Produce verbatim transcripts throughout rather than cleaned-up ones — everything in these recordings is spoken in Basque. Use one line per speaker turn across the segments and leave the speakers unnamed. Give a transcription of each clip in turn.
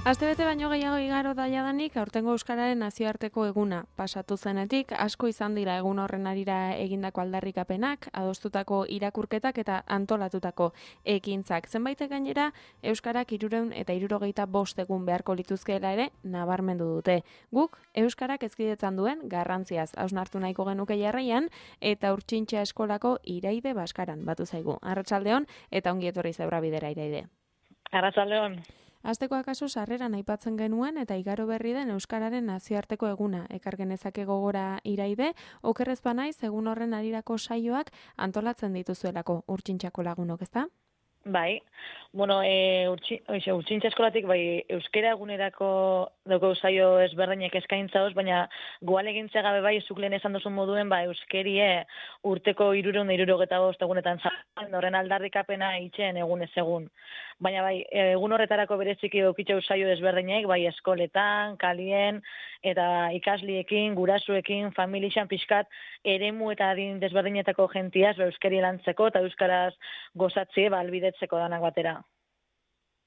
Astebete baino gehiago igaro daiadanik, aurtengo Euskararen nazioarteko eguna pasatu zenetik, asko izan dira egun horren arira egindako aldarrikapenak, adostutako irakurketak eta antolatutako ekintzak. Zenbaitek gainera, Euskarak hirurehun eta hirurogeita bost egun beharko lituzkeela ere nabarmendu dute. Guk, Euskarak ezkidetzan duen garrantziaz hausnartu nahiko genuke jarraian, eta Urtsintxa eskolako Iraide Baskaran batu zaigu. Arratsaldeon eta ongi etorri Zeura Bidera, Iraide.
Arratsaldeon.
Asteko akaso sarreran aipatzen genuen eta igaro berri den Euskararen nazioarteko eguna. Ekar genezake gogora Iraide, okerrez banaiz egun horren arirako saioak antolatzen dituzuelako Urtsintxako lagunok, ezta?
Bai, bueno, e, urtsi, oixe, Urtsintxa eskolatik bai euskera egunerako dauko saio ezberdinek eskaintza hoz, baina goal egintza gabe bai zuk lehen esan duzun moduen ba euskerie urteko hirurehun eta hirurogeita bost egunetan zan, horren aldarrikapena itxen egunez egun. Baina bai, egun horretarako bereziki okitxau saio ezberdinek, bai eskoletan, kalien, eta ikasliekin, gurasuekin, familixan pixkat, eremu eta adin desberdinetako gentiaz, ba, euskari lantzeko eta euskaraz gozatzie, ba, albidetzeko danak batera.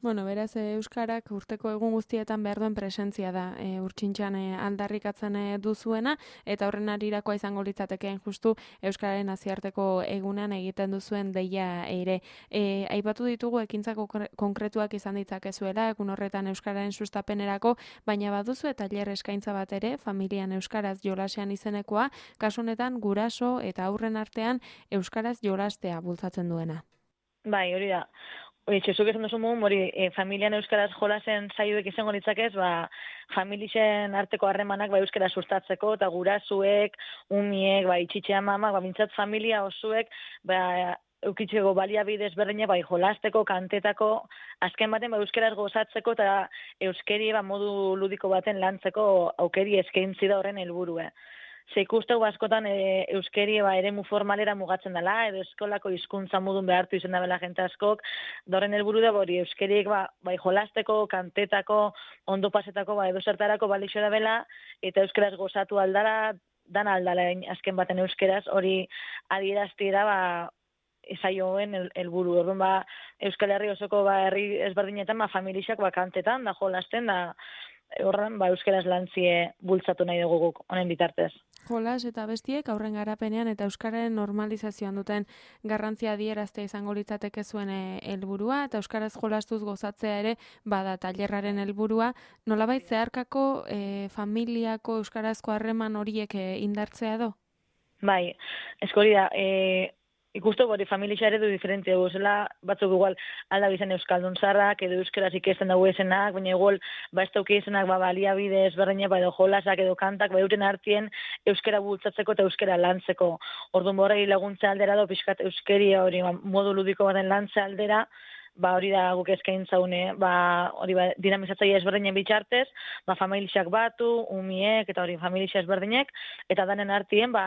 Bueno, beraz, Euskarak urteko egun guztietan behar duen presentzia da e, Urtsintxan e, aldarrikatzen e, duzuena, eta horren arirakoa izango litzatekeen justu Euskararen nazioarteko egunean egiten duzuen deia ere. E, aipatu ditugu ekintzako konkretuak izan ditzakezuela, egun horretan Euskararen sustapenerako, baina baduzu eta tailer eskaintza bat ere, familian Euskaraz jolasean izenekoa, kasu honetan guraso eta aurren artean Euskaraz jolastea bultzatzen duena.
Bai, hori da. Hori, txezuk esan duzu mugun, hori, e, familian euskaraz jolasen zaioek izango litzakez, ba, familixen arteko harremanak ba, euskara sustatzeko, eta gurasuek, umiek, ba, itxitxea mamak, ba, mintzat familia osuek, ba, eukitzeko baliabidez berdine, bai, jolasteko, kantetako, azken baten, ba, euskaraz gozatzeko, eta euskeri, ba, modu ludiko baten lantzeko aukeri eskaintzi da horren helburue. Ze ikusteu askotan e, euskeri ba, eremu formalera mugatzen dela, edo eskolako hizkuntza modun behartu izen da bela jente askok, doren helburu da hori euskeriek ba, bai jolasteko, kantetako, ondo pasetako, ba, edo zertarako balixo da bela, eta euskaraz gozatu aldara, dan aldala azken baten euskeraz, hori adierazti da, ba, esaioen helburu. Orduan ba, Euskal Herri osoko ba, herri ezberdinetan, ba, familixak ba, kantetan, da jolasten, da, horren, ba, euskaraz lantzie bultzatu nahi dugu guk, honen bitartez.
Jolas eta bestiek aurren garapenean eta euskararen normalizazioan duten garrantzia adieraztea izango litzateke zuen helburua eta euskaraz jolastuz gozatzea ere bada tailerraren helburua. Nolabait zeharkako e, familiako euskarazko harreman horiek e, indartzea edo?
Bai, eskori da, e, ikustu hori familia ere du diferente dugu, zela batzuk igual alda bizan euskaldun zarrak, edo euskaraz ikesten dugu esenak, baina igual ba ez dauki esenak ba, baliabide ezberdina, ba, edo jolasak edo kantak, ba euren artien euskara bultzatzeko eta euskara lantzeko. Orduan borrei laguntza aldera do, pixkat euskeria hori ba, modu ludiko baten lantza aldera, ba hori da guk eskaintza une, ba hori ba dinamizatzaile ezberdinen bitartez, ba familiak batu, umiek eta hori familia ezberdinek eta danen artien ba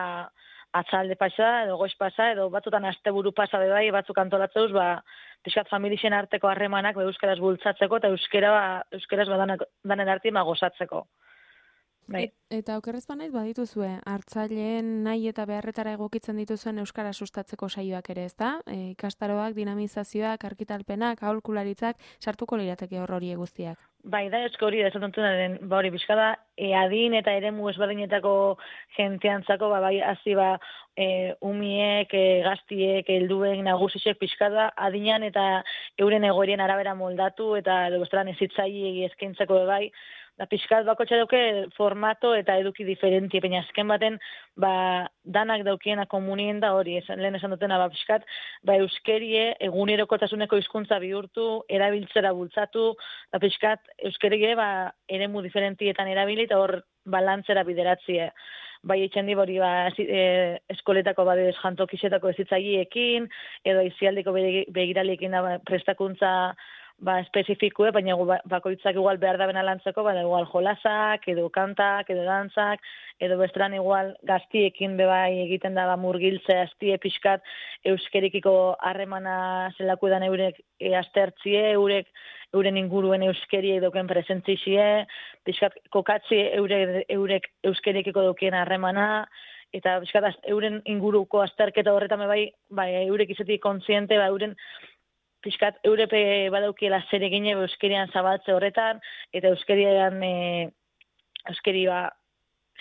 atzalde pasa, edo goiz pasa, edo batzutan asteburu pasa bai, batzuk antolatzeuz, ba, pixkat familixen arteko harremanak ba, euskaraz bultzatzeko, eta euskera, ba, euskaraz ba, danak, danen arti ma gozatzeko. Bai.
Et, eta okerrez banaiz badituzue, hartzaileen nahi eta beharretara egokitzen dituzuen euskara sustatzeko saioak ere, ezta? E, ikastaroak, dinamizazioak, arkitalpenak, aholkularitzak, sartuko lirateke hor hori guztiak.
Bai, da esko hori da, esatuntunaren, ba hori, bizkada, e, adin eta eremu ezberdinetako jenteantzako, ba, bai, hazi, ba, e, umiek, e, gaztiek, helduen, nagusisek, pixkada, adinean eta euren egoerien arabera moldatu, eta edo bestelan ezitzaile eskaintzako bai, da pixkat bakotxa dauke formato eta eduki diferentie, baina azken baten ba, danak daukiena komunien da hori, esan, lehen esan dutena, ba, pixkat, ba, euskerie egunerokotasuneko hizkuntza bihurtu, erabiltzera bultzatu, da pixkat, euskerie ba, eremu diferentietan erabili eta hor balantzera bideratzie. Bai etxen di hori ba, e, eskoletako badez jantokisetako ezitzaileekin, edo izialdiko begiraliekin da ba, prestakuntza ba, espezifikue, baina bakoitzak igual behar da bena lantzeko, baina igual jolasak, edo kantak, edo dantzak, edo bestelan igual gaztiekin bebai egiten da ba, murgiltze aztie pixkat euskerikiko harremana zelako edan eurek e, astertzie, eurek euren inguruen euskeri edoken presentzizie, pixkat kokatzi eurek, eurek euskerikiko dokien harremana, eta pixkat euren inguruko azterketa horretan bai, bai eurek izetik kontziente, bai euren pixkat Europe badaukiela zer egine euskerian zabaltze horretan, eta euskerian, e, euskeri ba,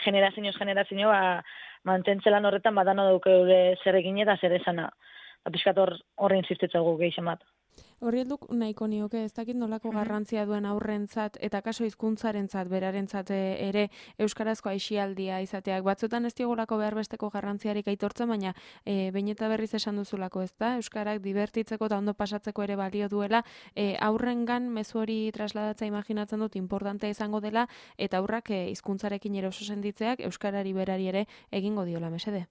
generazioz generazio ba, mantentzelan horretan badano dauke eure zer egine eta zer esana. Pixkat hor, horre insistitzagu gehixen bat.
Horri helduk nahiko nioke, ez dakit nolako garrantzia duen aurrentzat eta kaso hizkuntzarentzat berarentzat ere euskarazko aisialdia izateak. Batzuetan ez diogolako behar besteko garrantziarik aitortzen, baina e, behin eta berriz esan duzulako, ez da? Euskarak divertitzeko eta ondo pasatzeko ere balio duela, e, aurrengan mezu hori trasladatzea imaginatzen dut importantea izango dela, eta aurrak e, hizkuntzarekin ere oso senditzeak euskarari berari ere egingo diola mesede.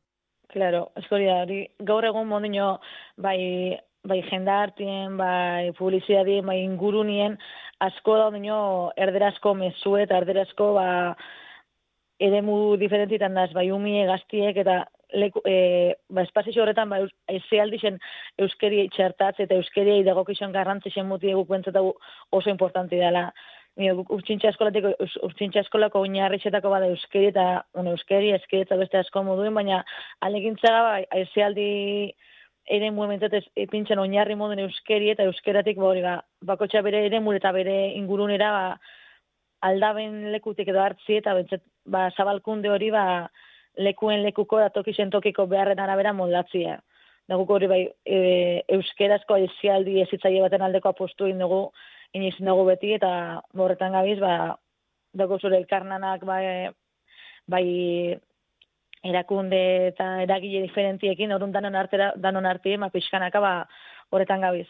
Claro, eskori da, hori gaur egun mondino bai bai jendartien, bai publizidadien, bai ingurunien, asko da ondino erderazko mezu eta erderazko ba, eremu diferentitan daz, bai umie gaztiek eta leku, e, ba, espazio horretan ba, ezealdixen euskeri txertatze eta euskeri dagokizan garrantzisen muti eguk bentzetagu oso importanti dela. Urtsintxa eskolatiko, urtsintxa eskolako oinarritxetako bada euskeri eta un euskeri, eskeri eta beste asko moduen, baina alegintzaga ba, ezealdi ere muementzat epintzen oinarri moduen euskeri eta euskeratik ba, hori ba, bakotxa bere ere mure eta bere ingurunera ba, aldaben lekutik edo hartzi eta bentzat, ba, zabalkunde hori ba, lekuen lekuko da tokisen tokiko beharren arabera moldatzia. Daguk hori bai e, euskerazko aizialdi ezitzaile baten aldeko apostu egin dugu, inizin dugu beti eta horretan gabiz, ba, dago zure elkarnanak bai, bai erakunde eta eragile diferentiekin, orduan danon artera, danon artien, ma pixkanaka, ba, horretan gabiz.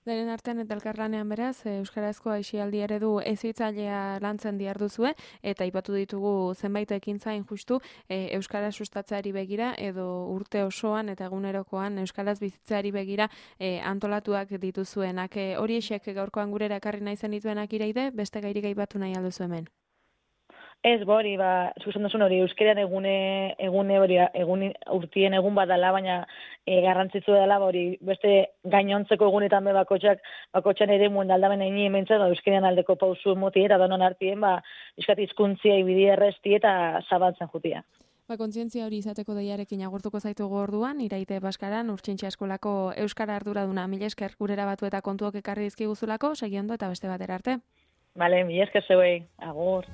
Daren artean eta elkarlanean beraz, euskarazko aisialdi eredu ezitzailea lantzen diarduzue, eta aipatu ditugu zenbait ekintzain justu e, euskara sustatzeari begira, edo urte osoan eta egunerokoan euskaraz bizitzeari begira e, antolatuak dituzuenak. E, hori esek gaurkoan gurera ekarri nahi zen dituenak ireide, beste gairik aipatu nahi alduzu hemen.
Ez, hori, ba, zuzen duzun hori, euskeran egune, egune hori, egun, urtien egun badala, baina e, garrantzitzu dela, hori, beste gainontzeko egunetan be bakotxak, bakotxan ere muen aldamen egin ementzat, ba, euskeran aldeko pausu moti eta donon artien, ba, iskat izkuntzia ibidi errezti eta zabaltzen jutia.
Ba, kontzientzia hori izateko deiarekin agurtuko zaitugu orduan, Iraite Baskaran, Urtsintxa eskolako euskara arduraduna, mila esker gurera batu eta kontuok ekarri dizkiguzulako, segiondo eta beste batera arte.
Bale, mila esker zeuei, agur.